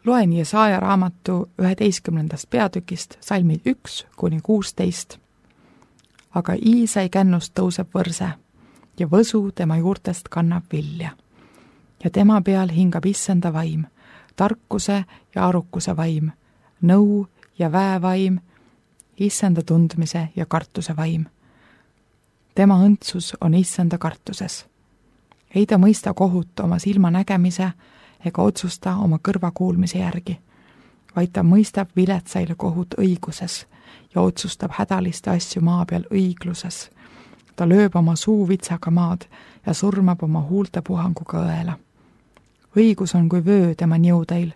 Loen Jesaja raamatu 11. peatükist salmid 1–16. Aga Iisai kännust tõuseb võrse ja võsu tema juurtest kannab vilja. Ja tema peal hingab issanda vaim, tarkuse ja arukuse vaim, nõu ja väevaim, issanda tundmise ja kartuse vaim. Tema õndsus on issanda kartuses. Ei ta mõista kohut oma silma nägemise ega otsusta oma kõrva kuulmise järgi, vaid ta mõistab viletsaile kohut õiguses ja otsustab hädaliste asju maa peal õigluses. Ta lööb oma suu vitsaga maad ja surmab oma huulte puhanguga õela. Õigus on kui vöö tema niudeil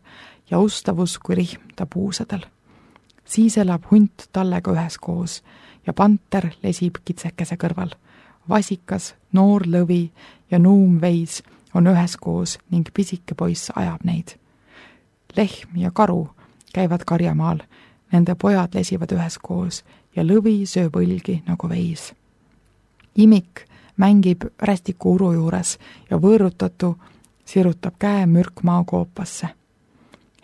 ja ustavus kui rihm ta puusadel. Siis elab hunt tallega üheskoos ja panter lesib kitsekese kõrval. Vasikas, noor lõvi ja nuum veis on üheskoos ning pisike poiss ajab neid. Lehm ja karu käivad karjamaal, nende pojad lesivad üheskoos ja lõvi sööb õlgi nagu veis. Imik mängib rästiku uru juures ja võõrutatu sirutab käe mürkmaa koopasse.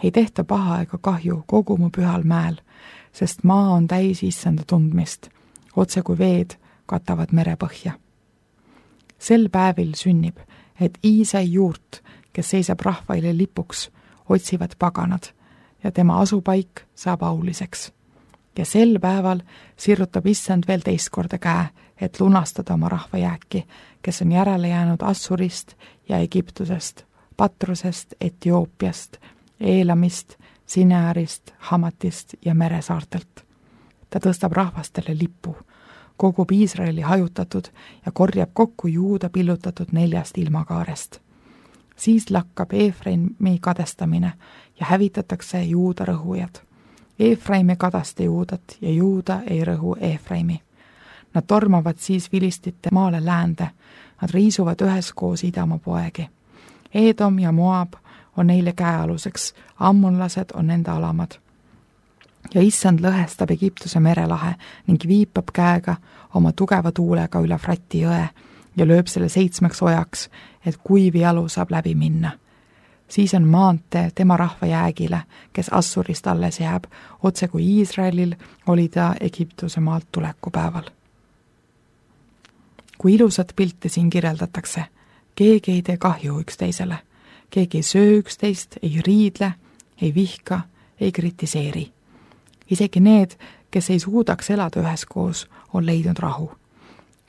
Ei tehta paha ega kahju kogu mu pühal mäel, sest maa on täis issanda tundmist, otse kui veed katavad merepõhja. Sel päevil sünnib, et Iisai juurt, kes seisab rahvaile lipuks, otsivad paganad ja tema asupaik saab auliseks. Ja sel päeval sirutab issand veel teist korda käe, et lunastada oma rahva jääki, kes on järele jäänud Assurist ja Egiptusest, Patrusest, Etioopiast, Eelamist, Sinearist, Hamatist ja meresaartelt. Ta tõstab rahvastele lipu, kogub Iisraeli hajutatud ja korjab kokku Juuda pillutatud 4 ilmakaarest. Siis lakkab Eefraimi kadestamine ja hävitatakse Juuda rõhujad. Eefraim ei kadaste Juudat ja Juuda ei rõhu Eefraimi. Nad tormavad siis vilistite maale läände, nad riisuvad üheskoos idamaa poegi. Edom ja Moab on neile käealuseks, ammonlased on nende alamad. Ja issand lõhestab Egiptuse merelahe ning viipab käega oma tugeva tuulega üle Frati jõe ja lööb selle 7 ojaks, et kuiv jalu saab läbi minna. Siis on maantee tema rahva jäägile, kes Assurist alles jääb, otse kui Iisraelil oli ta Egiptuse maalt tulekupäeval. Kui ilusat pilti siin kirjeldatakse, keegi ei tee kahju üksteisele, keegi ei söö üksteist, ei riidle, ei vihka, ei kritiseeri. Isegi need, kes ei suudaks elada üheskoos, on leidnud rahu.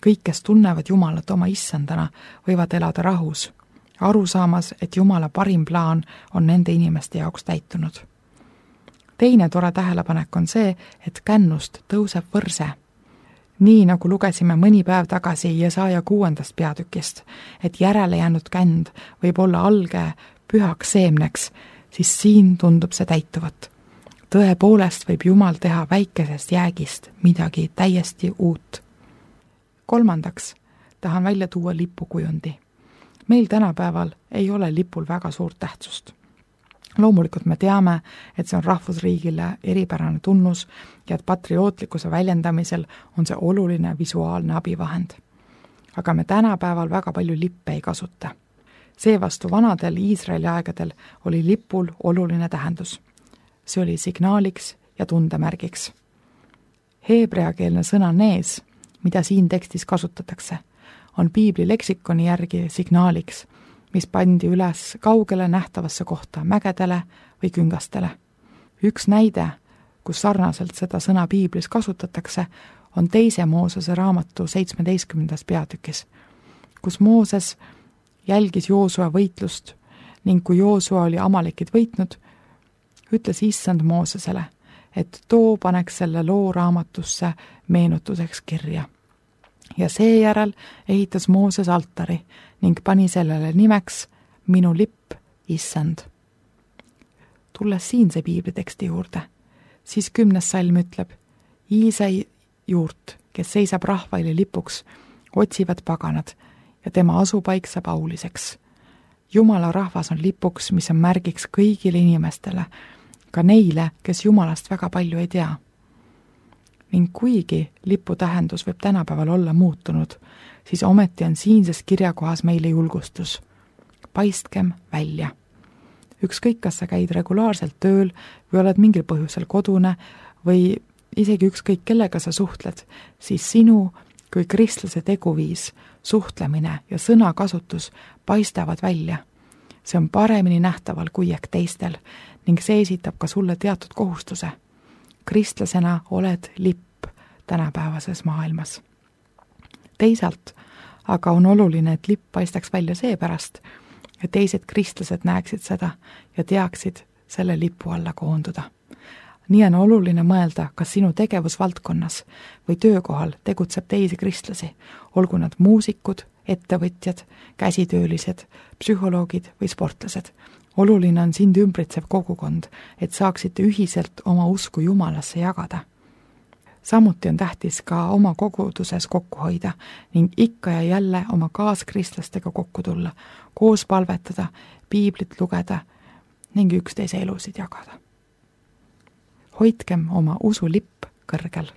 Kõik, kes tunnevad Jumalat oma issandana, võivad elada rahus, aru saamas, et Jumala parim plaan on nende inimeste jaoks täitunud. Teine tore tähelepanek on see, et kännust tõuseb võrse. Nii nagu lugesime mõni päev tagasi Jesaja 6. peatükist, et järele jäänud känd võib olla alge pühaks seemneks, siis siin tundub see täituvat. Tõepoolest võib Jumal teha väikesest jäägist midagi täiesti uut. 3. tahan välja tuua lipukujundi. Meil tänapäeval ei ole lipul väga suurt tähtsust. Loomulikult me teame, et see on rahvusriigile eripärane tunnus ja et patriootlikkuse väljendamisel on see oluline visuaalne abivahend. Aga me tänapäeval väga palju lippe ei kasuta. Seevastu vanadel Iisraeli aegadel oli lipul oluline tähendus. See oli signaaliks ja tundemärgiks. Heebreakeelne sõna nees, mida siin tekstis kasutatakse, on piibli leksikoni järgi signaaliks, mis pandi üles kaugele nähtavasse kohta mägedele või küngastele. Üks näide, kus sarnaselt seda sõna piiblis kasutatakse, on 2. Moosese raamatu 17. peatükis, kus Mooses jälgis Joosua võitlust ning kui Joosua oli Amalekid võitnud, ütles issand Moosesele, et too paneks selle loo raamatusse meenutuseks kirja. Ja seejärel ehitas Mooses altari ning pani sellele nimeks minu lipp, issand. Tulles siinse piibliteksti juurde, siis 10. salm ütleb, Iisai juurt, kes seisab rahvaile lipuks, otsivad paganad ja tema asupaik saab auliseks. Jumala rahvas on lipuks, mis on märgiks kõigile inimestele, ka neile, kes Jumalast väga palju ei tea. Ning kuigi lipu tähendus võib tänapäeval olla muutunud, siis ometi on siinses kirjakohas meile julgustus. Paistkem välja. ükskõik, kas sa käid regulaarselt tööl või oled mingil põhjusel kodune või isegi ükskõik, kellega sa suhtled, siis sinu kui kristlase teguviis, suhtlemine ja sõnakasutus paistavad välja. See on paremini nähtaval kui ehk teistel ning see esitab ka sulle teatud kohustuse. Kristlasena oled lipp tänapäevases maailmas. Teisalt aga on oluline, et lipp paistaks välja seepärast, et teised kristlased näeksid seda ja teaksid selle lipu alla koonduda. Nii on oluline mõelda, kas sinu tegevusvaldkonnas või töökohal tegutseb teisi kristlasi, olgu nad muusikud, ettevõtjad, käsitöölised, psühholoogid või sportlased. Oluline on sind ümbritsev kogukond, et saaksite ühiselt oma usku Jumalasse jagada. Samuti on tähtis ka oma koguduses kokku hoida ning ikka ja jälle oma kaaskristlastega kokku tulla, koos palvetada, piiblit lugeda ning üksteise elusid jagada. Hoidkem oma usulipp kõrgel.